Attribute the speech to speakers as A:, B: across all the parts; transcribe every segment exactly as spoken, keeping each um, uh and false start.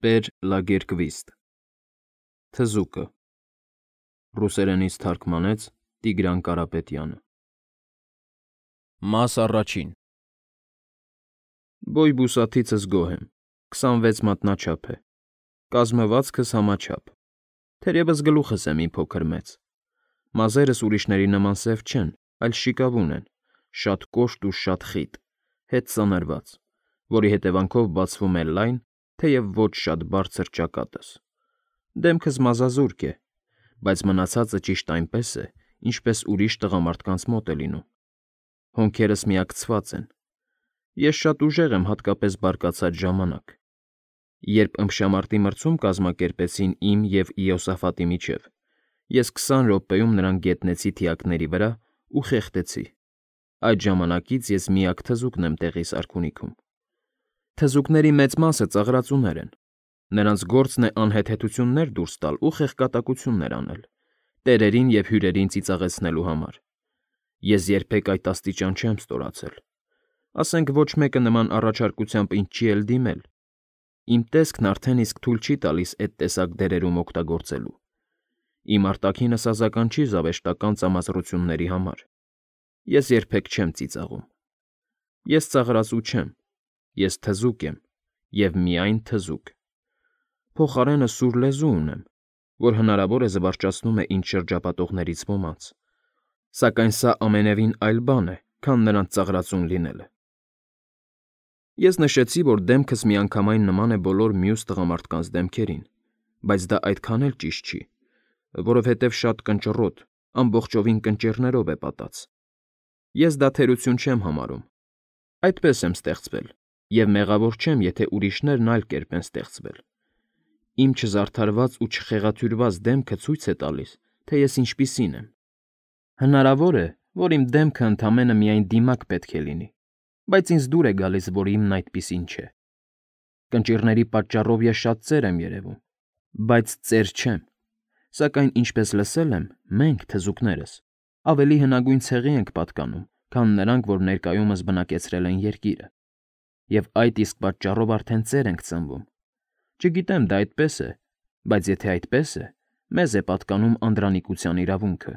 A: Պեր Լագերկվիստ Թզուկը Ռուսերենից թարգմանեց Տիգրան Կարապետյանը Մաս առաջին Բոյ֊բուսաթիցս գոհ եմ, քսանվեց մատնաչափ է, կազմվածքս համաչափ, թերևս գլուխս է մի փոքր մեծ, մազերս ուրիշների նման սև չեն, այլ շիկավուն են, շատ կոշտ ու շատ խիտ, հետ ծանրված, որի հետևանքով բացվում է լայն, թեև ոչ շատ բարձր ճակատս, դեմքս մազազուրկ է, բայց մնացածը ճիշտ այնպես է, ինչպես ուրիշ տղամարդկանց մոտ է լինում, հոնքերս միակցված են, ես շատ ուժեղ եմ հատկապես բարկացած ժամանակ, երբ ըմբշամարտի մրցում կազմակերպեցին իմ և Իոսաֆատի միջև, ես քսան րոպեում նրան գետնեցի թիակների վրա ու խեղդեցի, այդ ժամանակից ես միակ թզուկն եմ տեղիս արքունիքում, թզուկների մեծ մասը ծաղրածուներ են, նրանց գործն է անհեթեթություններ դուրս տալ ու խեղկատակություններ անել, տերերին և հյուրերին ծիծաղեցնելու համար, ես երբեք այդ աստիճան չեմ ստորացել, ասենք ոչ մեկը նման առաջարկությամբ ինձ չի էլ դիմել, իմ տեսքն արդեն իսկ թույլ չի տալիս էդ տեսակ դերերում օգտագործելու, իմ արտաքինս ազական չի զավեշտական ծամազրությունների համար, ես երբեք չեմ ծիծաղում, ես ծաղրածու չեմ, ես թզուկ եմ և միայն թզուկ, փոխարենը սուր լեզու ունեմ, որ հնարավոր է զվարճացնում է ինձ շրջապատողներից ոմանց, սակայն սա ամենևին այլ բան է, քան նրանց ծաղրածուն լինելը։ Ես նշեցի, որ դեմքս միանգամայն նման է բոլոր մյուս տղամարդկանց դեմքերին, բայց դա այդքան էլ ճիշտ չի, որովհետև շատ կնճռոտ, ամբողջովին կնճիռներով է պատած։ Ես դա թերություն չեմ համարում, այդպես եմ ստեղծվել, և մեղավոր չեմ, եթե ուրիշներն այլ կերպ են ստեղծվել։ Իմ չզարդարված ու չխեղաթյուրված դեմքը ցույց է տալիս, թե ես ինչպիսին եմ։ Հնարավոր է, որ իմ դեմքը ընդամենը միայն դիմակ պետք է լինի, բայց ինձ դուր է գալիս, որ իմն այդպիսին չէ։ Կնճիռների պատճառով ես շատ ծեր եմ երևում, բայց ծեր չեմ, սակայն ինչպես լսել եմ, մենք, թզուկներս, ավելի հնագույն ցեղի ենք պատկանում, քան նրանք, որ ներկայումս բնակեցրել են երկիրը, և այդ իսկ պատճառով արդեն ծեր ենք ծնվում։ Չգիտեմ դա այդպես է, բայց եթե այդպես է, մեզ է պատկանում անդրանիկության իրավունքը։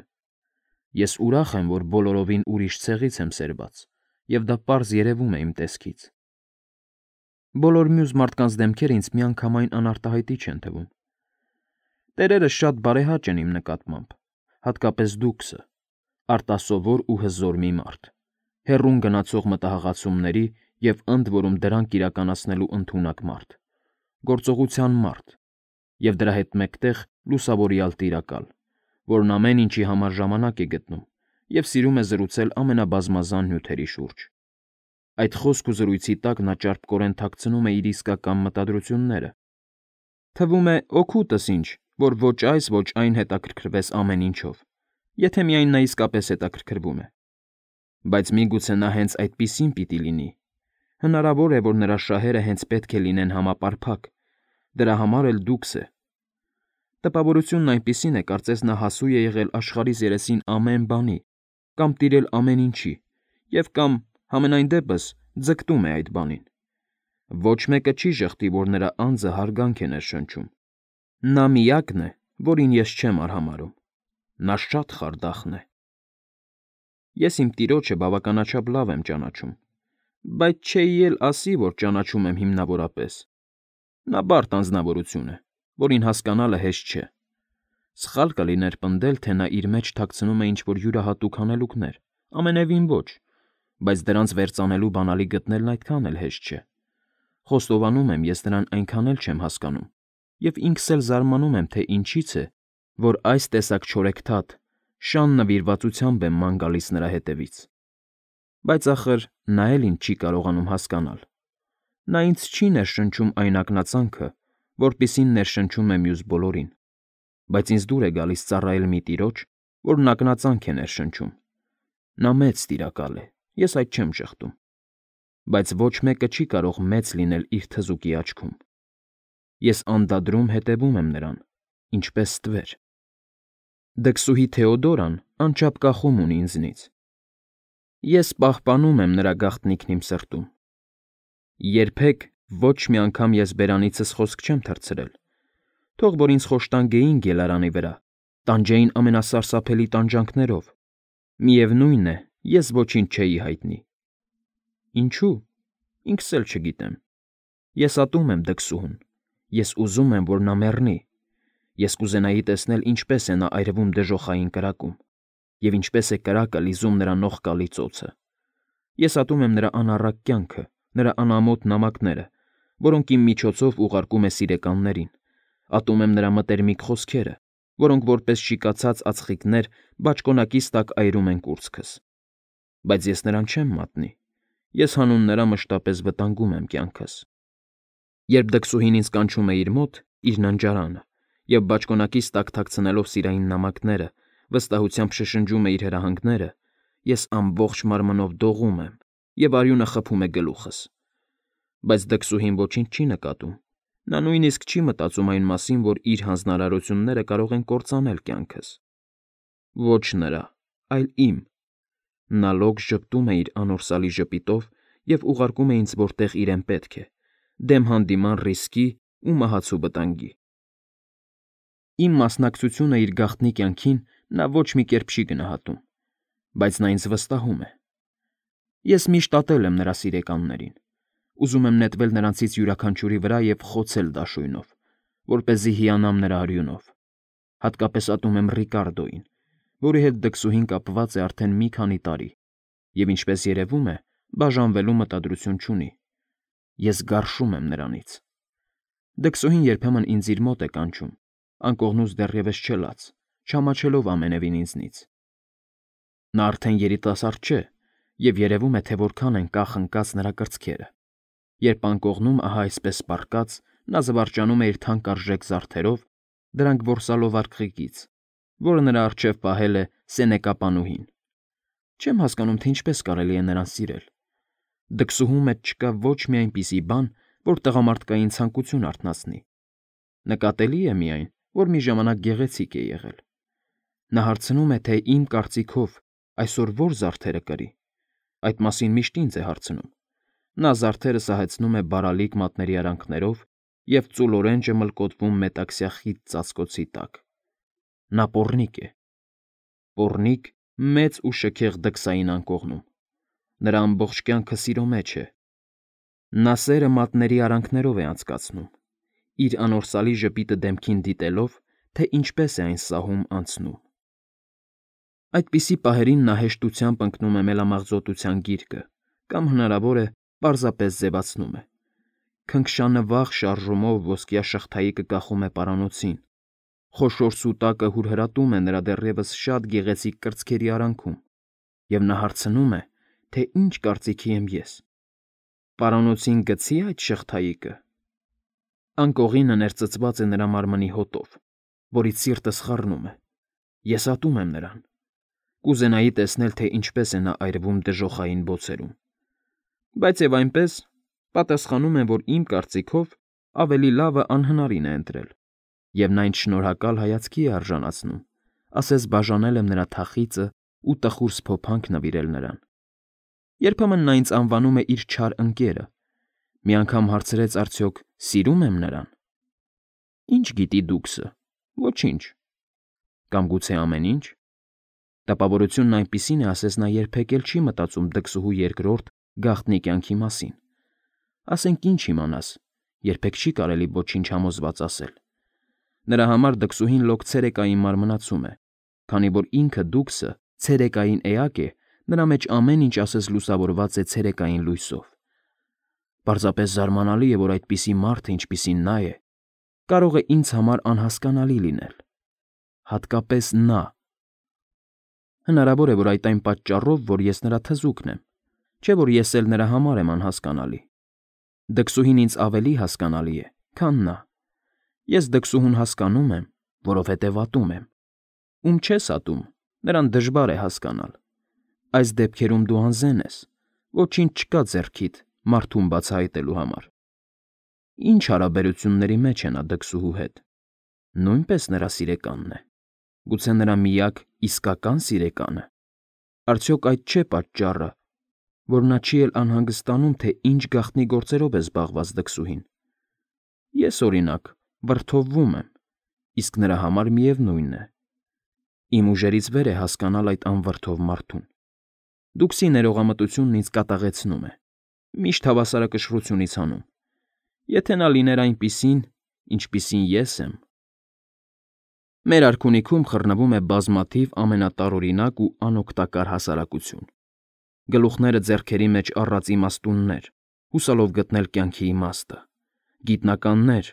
A: Ես ուրախ եմ, որ բոլորովին ուրիշ ցեղից եմ սերված, և դա պարզ երևում է իմ տեսքից։ Բոլոր մյուս մարդկանց դեմքերը ինձ միանգամայն անարտահայտի չեն թվում։ Տերերը շատ բարեհաճ են իմ նկատմամբ, հատկապես դուքսը, արտասովոր ու հզոր մի մարդ, հեռուն գնացող մտահղացումների և ընդ որում դրանք իրականացնելու ընդունակ մարդ, գործողության մարդ, և դրա հետ մեկտեղ լուսավորյալ տիրակալ, որն ամեն ինչի համար ժամանակ է գտնում և սիրում է զրուցել ամենաբազմազան նյութերի շուրջ։ Այդ խոսք ու զրույցի տակ նա ճարպկորեն թաքցնում է իր իսկական մտադրությունները։ Թվում է օգուտս ինչ, որ ոչ այս, ոչ այն հետաքրքրվես ամեն ինչով, եթե միայն նա իսկապես հետաքրքրվում է։ Բայց միգուցե նա հենց այդպիսին պիտի լինի։ Հնարավոր է, որ նրա շահերը հենց պետք է լինեն համապարփակ, դրա համար էլ դուքս է։ Տպավորությունն այնպիսին է, կարծես նա հասու է եղել աշխարհիս երեսին ամեն բանի, կամ տիրել ամեն ինչի, և կամ, համենայն դեպս, ձգտում է այդ բանին։ Ոչ մեկը չի ժխտի, որ նրա անձը հարգանք է ներշնչում։ Նա միակն է, որին ես չեմ արհամարհում։ Նա շատ խարդախն է։ Ես իմ տիրոջը բավականաչափ լավ եմ ճանաչում, բայց չէի էլ ասի, որ ճանաչում եմ հիմնավորապես։ Նա բարդ անձնավորություն է, որին հասկանալը հեշտ չէ։ Սխալ կլիներ պնդել, թե նա իր մեջ թաքցնում է ինչ֊որ յուրահատուկ հանելուկներ, ամենևին ոչ, բայց դրանց վերծանելու բանալի գտնելն այդքան էլ հեշտ չէ։ Խոստովանում եմ, ես նրան այնքան էլ չեմ հասկանում, և ինքս էլ զարմանում եմ, թե ինչից է, որ այս տեսակ չորեքթաթ, շան նվիրվածությամբ եմ ման գալիս նրա հետևից։ Բայց ախր նա էլ ինձ չի կարողանում հասկանալ։ Նա ինձ չի ներշնչում այն ակնածանքը, որպիսին ներշնչում է մյուս բոլորին, բայց ինձ դուր է գալիս ծառայել մի տիրոջ, որն ակնածանք է ներշնչում։ Նա մեծ տիրակալ է, ես այդ չեմ ժխտում, բայց ոչ մեկը չի կարող մեծ լինել իր թզուկի աչքում։ Ես անդադրում հետևում եմ նրան, ինչպես ստվեր։ Դքսուհի Թեոդորան անչափ կախում ունի ինձնից։ Ես պահպանում եմ նրա գաղտնիքն իմ սրտում։ Երբեք Ոչ մի անգամ ես բերանիցս խոսք չեմ թռցրել, թող որ ինձ խոշտանգեին գելարանի վրա, տանջեին ամենասարսափելի տանջանքներով, միևնույն է, ես ոչինչ չէի հայտնի։ Ինչու՞, ինքս էլ չգիտեմ։ Ես ատում եմ դքսուհուն, ես ուզում եմ, որ նա մեռնի, ես կուզենայի տեսնել, ինչպես է նա այրվում դժոխային կրակում, և ինչպես է կրակը լիզում նրա նողկալի ծոցը։ Ես ատում եմ նրա անառակ կյանքը, նրա անամոթ նամակները, որոնք իմ միջոցով ուղարկում է սիրեկաններին, ատում եմ նրա մտերմիկ խոսքերը, որոնք որպես շիկացած ածխիկներ բաճկոնակիս տակ այրում են կուրծքս։ Բայց ես նրան չեմ մատնի, ես հանուն նրա մշտապես վտանգում եմ կյանքս։ Երբ դքսուհին ինձ կանչում է իր մոտ, իր ննջարանը, և բաճկոնակիս տակ թաքցնելով սիրային նամակները, վստահությամբ շշնջում է իր հրահանգները, ես ամբողջ մարմնով դողում եմ, և արյունը խփում է գլուխս։ Բայց դքսուհին ոչինչ չի նկատում, նա նույնիսկ չի մտածում այն մասին, որ իր հանձնարարությունները կարող են կործանել կյանքս։ Ոչ նրա, այլ իմ։ Նա լոգ ժպտում է իր անորսալի ժպիտով և ուղարկում է ինձ, որտեղ իրեն պետք է, դեմ հանդիման ռիսկի ու մահացու վտանգի։ Իմ մասնակցությունը իր գաղտնի կյանքին նա ոչ մի կերպ չի գնահատում, բայց նա ինձ վստահում է։ Ես միշտ ատել եմ նրա սիրեկաններին, ուզում եմ նետվել նրանցից յուրաքանչյուրի վրա և խոցել դաշույնով, որպեսզի հիանամ նրա արյունով։ Հատկապես ատում եմ Ռիկարդոյին, որի հետ դքսուհին կապված է արդեն մի քանի տարի, և ինչպես երևում է, բաժանվելու մտադրություն չունի։ Ես գարշում եմ նրանից։ Դքսուհին երբեմն ինձ իր մոտ է կանչում, անկողնուց դեռևս չելած, չամաչելով ամենևին ինձնից։ Նա արդեն երիտասարդ չէ, և երևում է, թե որքան են կախ ընկած նրա կրծքերը, երբ անկողնում ահա այսպես պառկած նա զվարճանում է իր թանկարժեք զարդերով, դրանք որսալով արկղիկից, որը նրա առջև պահել է սենեկապանուհին։ Չեմ հասկանում, թե ինչպես կարելի է նրան սիրել։ Դքսուհու մեջ չկա ոչ մի այնպիսի բան, որ տղամարդկային ցանկություն արթնացնի։ Նկատելի է միայն, որ մի ժամանակ գեղեցիկ է եղել։ Նա հարցնում է, թե իմ կարծիքով այսօր ո՞ր զարդերը կրի։ Այդ մասին միշտ ինձ է հարցնում։ Նա զարդերը սահեցնում է բարալիկ մատների արանքներով և ծուլ օրենջը մլկոտվում մետաքսյա խիտ ծածկոցի տակ։ Նա պոռնիկ է։ Պոռնիկ մեծ ու շքեղ դքսային անկողնում։ Նրա ամբողջ կյանքը սիրո մեջ է։ Նա սերը մատների արանքներով է անցկացնում, իր անորսալի ժպիտը դեմքին դիտելով, թե ինչպես է այն սահում անցնում։ Այդպիսի պահերին նա հեշտությամբ ընկնում է մելամաղձոտության գիրկը կամ հնարավոր է պարզապես ձևացնում է։ Քնքշանվախ շարժումով ոսկյա շղթայիկը կախում է պարանոցին, խոշոր սուտակը հուրհրատում է նրա դեռևս շատ գեղեցիկ կրծքերի արանքում, և նա հարցնում է, թե ինչ կարծիքի եմ ես։ Պարանոցին գցի՞ այդ շղթայիկը։ Անկողինը ներծծված է նրա մարմնի հոտով, որից սիրտս խառնում է։ Ես ատում եմ նրան։ Կուզենայի տեսնել, թե ինչպես է նա այրվում դժոխային բոցերում։ Բայց և այնպես, պատասխանում եմ, որ իմ կարծիքով ավելի լավը անհնարին է ընտրել, և նա ինձ շնորհակալ հայացքի է արժանացնում, ասես բաժանել եմ նրա թախիծն ու տխուր սփոփանք նվիրել նրան։ Երբեմն նա ինձ անվանում է իր չար ընկերը, մի անգամ հարցրեց արդյոք սիրո՞ւմ եմ նրան։ Ինչ գիտի դուքսը, ոչինչ։ Կամ գուցե ամեն ինչ։ Տպավորությունն այնպիսին է, ասես նա երբեք էլ չի մտածում դքսուհու երկրորդ գաղտնի կյանքի մասին։ Ասենք ինչ իմանաս, երբեք չի կարելի ոչինչ համոզված ասել։ Նրա համար դքսուհին լոկ ցերեկային մարմնացում է, քանի որ ինքը դուքսը ցերեկային էակ է, նրա մեջ ամեն ինչ ասես լուսավորված է ցերեկային լույսով։ Պարզապես զարմանալի է, որ այդպիսի մարդը, ինչպիսին նա է, կարող է ինձ համար անհասկանալի լինել։ Հատկապես նա։ Հնարավոր է, որ այդ այն պատճառով, որ ես նրա թզուկն եմ, չէ՞ որ ես էլ նրա համար եմ անհասկանալի։ Դքսուհին ինձ ավելի հասկանալի է, քան նա։ Ես դքսուհուն հասկանում եմ, որովհետև ատում եմ։ Ում չես ատում, նրան դժվար է հասկանալ։ Այս դեպքերում դու անզեն ես, ոչինչ չկա ձեռքիդ մարդուն բացահայտելու համար։ Ինչ հարաբերությունների մեջ է նա դքսուհու հետ։ Նույնպես նրա սիրեկանն է։ Գուցե նրա միակ իսկական սիրեկանը։ Արդյոք այդ չէ պատճառը, որ նա չի էլ անհանգստանում, թե ինչ գաղտնի գործերով է զբաղված դքսուհին։ Ես, օրինակ, վրդովվում եմ, իսկ նրա համար միևնույն է։ Իմ ուժերից վեր է հասկանալ այդ անվրդով մարդուն։ Դուքսի ներողամտությունն ինձ կատաղեցնում է, միշտ հավասարակշռությունից հանում։ Եթե նա լիներ այնպիսին, ինչպիսին ես եմ… Մեր արքունիքում խռնվում է բազմաթիվ ամենատարօրինակ ու անօգտակար հասարակություն։ Գլուխները ձեռքերի մեջ առած իմաստուններ, հուսալով գտնել կյանքի իմաստը, գիտնականներ,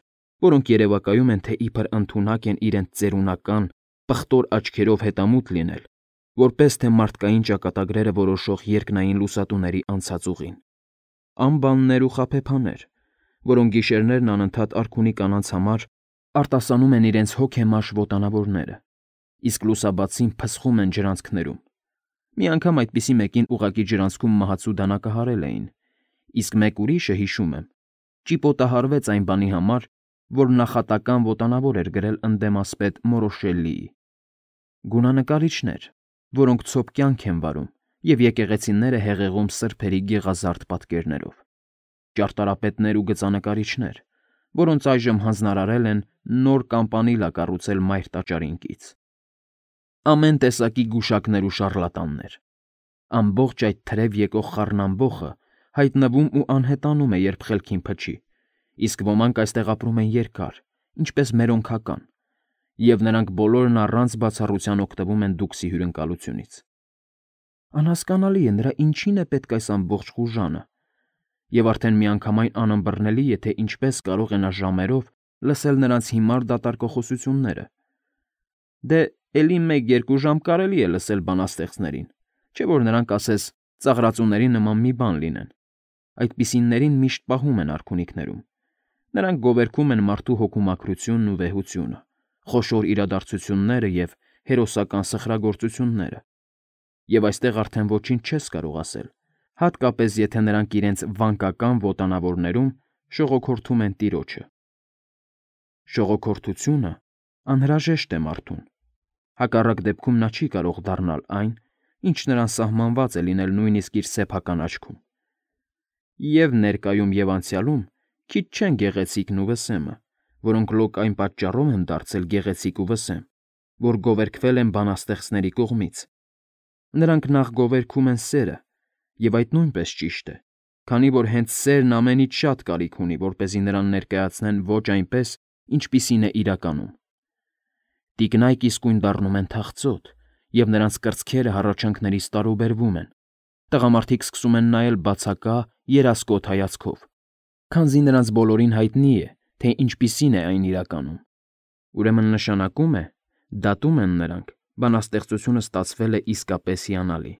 A: որոնք երևակայում են, թե իբր ընդունակ են իրենց ծերունական, պղտոր աչքերով հետամուտ լինել, որպես թե մարդկային ճակատագրերը որոշող երկնային լուսատուների անցած ուղին, անբաններ ու խաբեբաներ, որոնք գիշերներն անընդհատ արքունի կանանց համար արտասանում են իրենց հոգեմաշ ոտանավորները, իսկ լուսաբացին փսխում են ջրանցքներում։ Մի անգամ այդպիսի մեկին ուղղակի ջրանցքում մահացու դանակը հարել էին, իսկ մեկ ուրիշը, հիշում եմ, ճիպոտահարվեց այն բանի համար, որ նախատական ոտանավոր էր գրել ընդդեմ ասպետ Մորոշելլիի։ Գունանկարիչներ, որոնք ցոփ կյանք են վարում և եկեղեցիները հեղեղում սրբերի գեղազարդ պատկերներով, ճարտարապետներ ու գծանկարիչներ, որոնց այժմ հանձնարարել են նոր կամպանիլա կառուցել Մայր տաճարին կից։ Ամեն տեսակի գուշակներ ու շառլատաններ։ Ամբողջ այդ թրև եկող խառնամբոխը հայտնվում ու անհետանում է, երբ խելքին փչի, իսկ ոմանք այստեղ ապրում են երկար, ինչպես մերոնքական, և նրանք բոլորն առանց բացառության օգտվում են դուքսի հյուրընկալությունից։ Անհասկանալի է, նրա ինչին է պետք այս ամբողջ խուժանը, և արդեն միանգամայն անըմբռնելի է, թե ինչպես կարող է նա ժամերով լսել նրանց հիմար դատարկոխոսությունները։ Դե, էլի մեկ֊երկու ժամ կարելի է լսել բանաստեղծներին, չէ՞ որ նրանք, ասես, ծաղրածուների նման մի բան լինեն։ Այդպիսիներին միշտ պահում են արքունիքներում։ Նրանք գովերգում են մարդու հոգու մաքրությունն ու վեհությունը, խոշոր իրադարձությունները և հերոսական սխրագործությունները։ Եվ այստեղ արդեն ոչինչ չես կարող ասել, հատկապես եթե նրանք իրենց վանկական ոտանավորներում շողոքորթում են տիրոջը։ Շողոքորթությունը անհրաժեշտ է մարդուն։ Հակառակ դեպքում նա չի կարող դառնալ այն, ինչ նրան սահմանված է լինել նույնիսկ իր սեփական աչքում։ Եվ ներկայում և անցյալում քիչ չեն գեղեցիկն ու վսեմը, որոնք լոկ այն պատճառով են դարձել գեղեցիկ ու վսեմ, որ գովերգվել են բանաստեղծների կողմից։ Նրանք նախ գովերգում են սերը, և այդ նույնպես ճիշտ է, քանի որ հենց սերն ամենից շատ կարիք ունի, որպեսզի նրան ներկայացնեն ոչ այնպես, ինչպիսին է իրականում։ Տիկնայք իսկույն դառնում են թախծոտ, և նրանց կրծքերը հառաչանքներից տարուբերվում են։ Տղամարդիկ սկսում են նայել բացակա, երասկոտ հայացքով, քանզի նրանց բոլորին հայտնի է, թե ինչպիսին է այն իրականում։ Ուրեմն նշանակում է, դատում են նրանք, բանաստեղծությունը ստացվել է իսկապես հիանալի։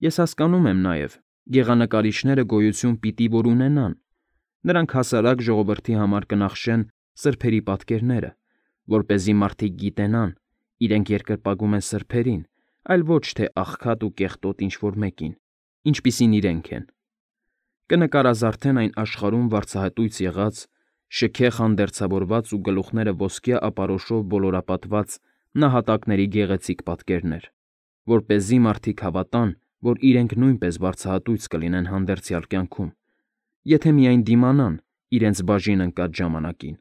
A: Ես հասկանում եմ նաև, գեղանկարիչները գոյություն պիտի որ ունենան։ Նրանք հասարակ ժողովրդի համար կնախշեն սրբերի պատկերները, որպեսզի մարդիկ գիտենան, իրենք երկրպագում են սրբերին, այլ ոչ թե աղքատ ու կեղտոտ ինչ֊որ մեկին, ինչպիսին իրենք են։ Կնկարազարդեն այն աշխարհում վարձահատույց եղած, շքեղ հանդերձավորված ու գլուխները ոսկյա ապարոշով ոլորապատված նահատակների գեղեցիկ պատկերներ, որպեսզի մարդիկ հավատան, որ իրենք նույնպես վարձահատույց կլինեն հանդերձյալ կյանքում, եթե միայն դիմանան իրենց բաժին ընկած ժամանակին։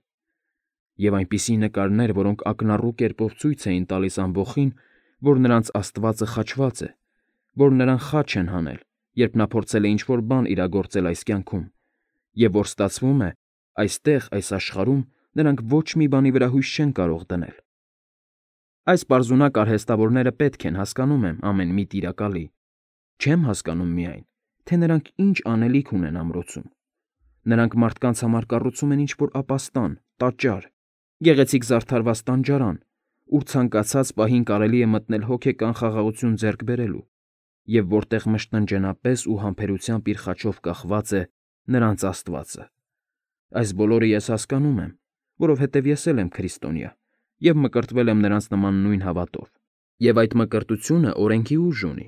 A: Եվ այնպիսի նկարներ, որոնք ակնառու կերպով ցույց էին տալիս ամբոխին, որ նրանց աստվածը խաչված է, որ նրան խաչ են հանել, երբ նա փորձել է ինչ֊որ բան իրագործել այս կյանքում, և որ ստացվում է, այստեղ, այս աշխարհում նրանք ոչ մի բանի վրա հույս չեն կարող դնել։ Այս պարզունակ արհեստավորները պետք են, հասկանում եմ, ամեն մի տիրակալի։ Չեմ հասկանում միայն, թե նրանք ինչ անելիք ունեն ամրոցում։ Նրանք մարդկանց համար կառուցում են ինչ֊որ ապաստան, տաճար, գեղեցիկ զարդարված տանջարան, ուր ցանկացած պահին կարելի է մտնել հոգեկան խաղաղություն ձեռք բերելու, և որտեղ մշտնջենապես ու համբերությամբ իր խաչով կախված է նրանց աստվածը։ Այս բոլորը ես հասկանում եմ, որովհետև ես էլ եմ քրիստոնյա և մկրտվել եմ նրանց նման նույն հավատով, և այդ մկրտությունը օրենքի ուժ ունի,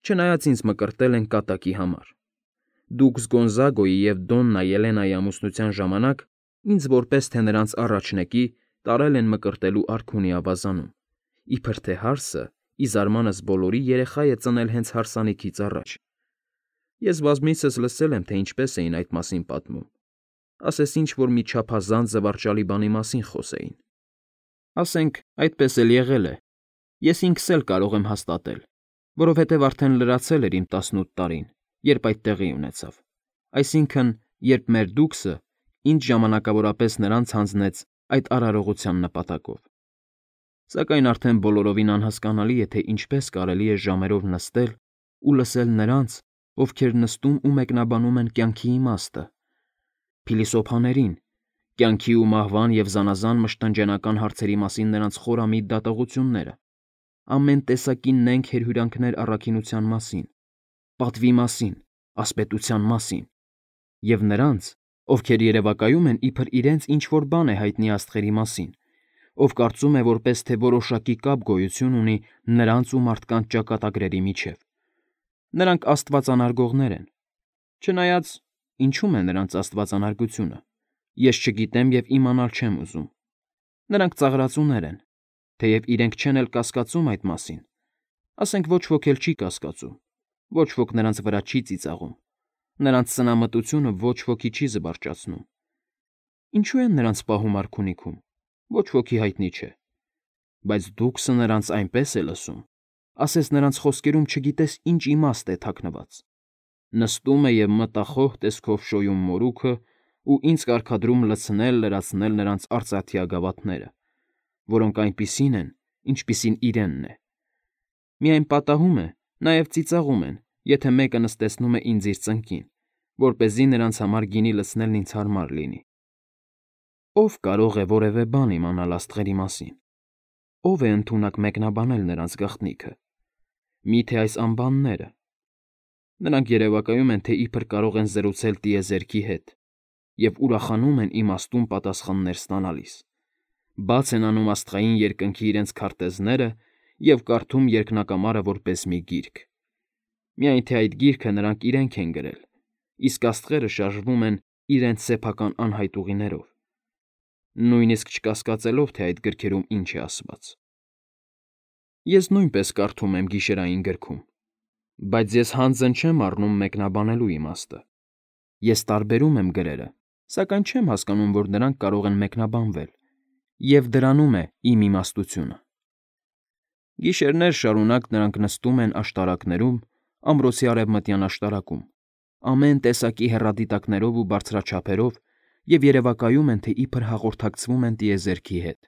A: չնայած ինձ մկրտել են կատակի համար։ Դուքս Գոնզագոյի և Դոննա Ելենայի ամուսնության ժամանակ ինձ որպես թե նրանց առաջնեկի տարել են մկրտելու արքունի ավազանում, իբր թե հարսը, ի զարմանս բոլորի, երեխա է ծնել հենց հարսանիքից առաջ։ Ես բազմիցս լսել եմ, թե ինչպես էին այդ մասին պատմում, ասես ինչ-որ մի չափազանց զվարճալի բանի մասին խոսեին։ Ասենք, այդպես էլ եղել է, ես ինքս էլ կարող եմ հաստատել, որովհետև արդեն լրացել էր իմ տասնութ տարին, երբ այդ տեղի ունեցավ, այսինքն, երբ մեր դուքսը ինձ ժամանակավորապես նրանց հանձնեց այդ արարողության նպատակով։ Սակայն արդեն բոլորովին անհասկանալի է, թե ինչպես կարելի է ժամերով նստել ու լսել նրանց, ովքեր նստում ու մեկնաբանում են կյանքի իմաստը, փիլիսոփաներին, կյանքի ու մահվան և զանազան մշտնջենական հարցերի մասին նրանց խորամիտ դատողությունները, ամեն տեսակի նենգ հրհյուրանքներ առաքինության մասին, պատվի մասին, ասպետության մասին, և նրանց, ովքեր երևակայում են իբր իրենց ինչ-որ բան է հայտնի աստղերի մասին, ով կարծում է, որպես թե որոշակի կապ գոյություն ունի նրանց ու մարդկանց ճակատագրերի միջև։ Նրանք աստվածանարգողներ են։ Չնայած, ինչու՞մ է նրանց աստվածանարգությունը, ես չգիտեմ և իմանալ չեմ ուզում։ Նրանք ծաղրածուներ են, թեև իրենք չեն էլ կասկածում այդ մասին, ասենք ոչ ոք էլ չի կասկածում, ոչ ոք նրանց վրա չի ծիծաղում, նրանց սնամտությունը ոչ ոքի չի զվարճացնում։ Ինչու են նրանց պահում արքունիքում, ոչ ոքի հայտնի չէ, բայց դուքսը նրանց այնպես է լսում, ասես նրանց խոսքերում չգիտես ինչ իմաստ է թաքնված։ Նստում է և մտախոհ տեսքով շոյում մորուքը ու ինձ կարգադրում լցնել, լրացնել նրանց արծաթյա գավաթները, որոնք այնպիսին են, ինչպիսին իրենն է։ Միայն պատահում է, նաև ծիծաղում են, եթե մեկը նստեցնում է ինձ իր ծնկին, որպեսզի նրանց համար գինի լցնելն ինձ հարմար լինի։ Ո՞վ կարող է որևէ բան իմանալ աստղերի մասին։ Ո՞վ է ընդունակ մեկնաբանել նրանց գաղտնիքը։ Մի՞թե այս անբանները։ Նրանք երևակայում են, թե իբր կարող են զրուցել տիեզերքի հետ և ուրախանում են իմաստուն պատասխաններ ստանալիս, բաց են անում աստղային երկնքի իրենց քարտեզները և կարդում երկնակամարը որպես մի գիրք։ Միայն թե այդ գիրքը նրանք իրենք են գրել, իսկ աստղերը շարժվում են իրենց սեփական անհայտ ուղիներով, նույնիսկ չկասկածելով, թե այդ գրքերում ինչ է ասված։ Ես նույնպես կարդում եմ գիշերային գրքում, բայց ես հանձն չեմ առնում մեկնաբանելու իմաստը։ Ես տարբերում եմ գրերը, սակայն չեմ հասկանում, որ դրանք կարող են մեկնաբանվել, և դրանում է իմ իմաստությունը։ Գիշերներ շարունակ նրանք նստում են աշտարակներում, ամրոցի արևմտյան աշտարակում, ամեն տեսակի հեռադիտակներով ու բարձրաչափերով և երևակայում են, թե իբր հաղորդակցվում են տիեզերքի հետ։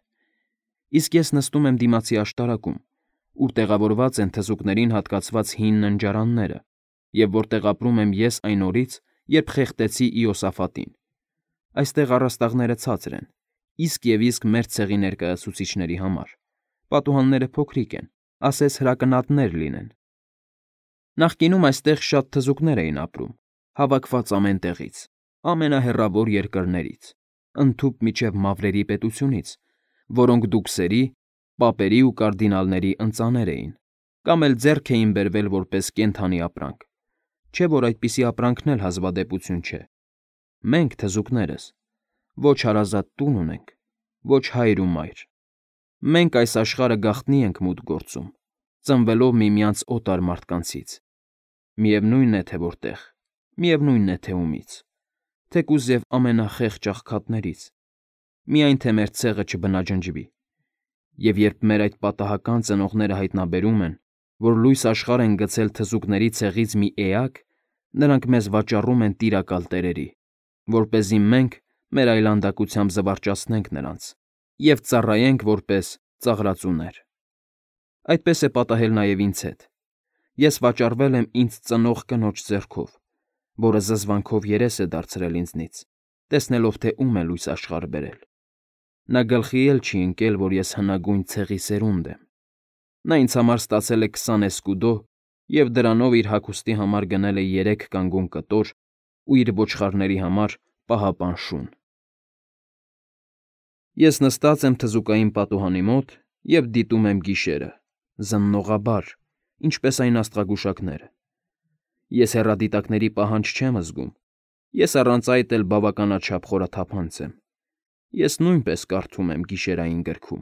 A: Իսկ ես նստում եմ դիմացի աշտարակում, ուր տեղավորված են թզուկներին հատկացված հին ննջարանները, և որտեղ ապրում եմ ես այն օրից, երբ խեղդեցի Իոսաֆատին։ Այստեղ առաստաղները ցածր են, իսկ և իսկ մեր ցեղի ներկայացուցիչների համար, պատուհանները փոքրիկ են, ասես հրակնատներ լինեն։ Նախկինում այստեղ շատ թզուկներ էին ապրում, հավաքված ամեն տեղից, ամենահեռավոր երկրներից, ընդհուպ մինչև մավրերի պետությունից, որոնք դուքսերի, պապերի ու կարդինալների ընծաներ էին, կամ էլ ձեռք էին բերվել որպես կենդանի ապրանք, չէ՞ որ այդպիսի ապրանքն էլ հազվադեպություն չէ։ Մենք, թզուկներս, ոչ հարազատ տուն ունենք, ոչ հայր ու մայր։ Մենք այս աշխարհը գաղտնի ենք մուտք գործում, ծնվելով միմյանց օտար մարդկանցից։ Միևնույն է, թե որտեղ, միևնույն է, թե ումից, թեկուզ և ամենախեղճ աղքատներից, միայն թե մեր ցեղը չբնաջնջվի։ Եվ երբ մեր այդ պատահական ծնողները հայտնաբերում են, որ լույս աշխարհ են գցել թզուկների ցեղից մի էակ, նրանք մեզ վաճառում են տիրակալ տերերի, որպեսզի մենք մեր այլանդակությամբ զվարճացնենք նրանց և ծառայենք որպես ծաղրածուներ։ Այդպես է պատահել նաև ինձ հետ։ Ես վաճառվել եմ ինձ ծնող կնոջ ձեռքով, որը զզվանքով երես է դարձրել ինձնից, տեսնելով, թե ում է լույս աշխարհ բերել։ Նա գլխի էլ չի ընկել, որ ես հնագույն ցեղի սերունդ եմ։ Նա ինձ համար ստացել է քսան էսկուդո և դրանով իր հագուստի համար գնել է երեք կանգուն կտոր ու իր ոչխարների համար պահապան շուն։ Ես նստած եմ թզուկային պատուհանի մոտ և դիտում եմ գիշերը, զննողաբար, ինչպես այն աստղագուշակները։ Ես հեռադիտակների պահանջ չեմ զգում, ես առանց այդ էլ բավականաչափ խորաթափանց եմ։ Ես նույնպես կարդում եմ գիշերային գրքում։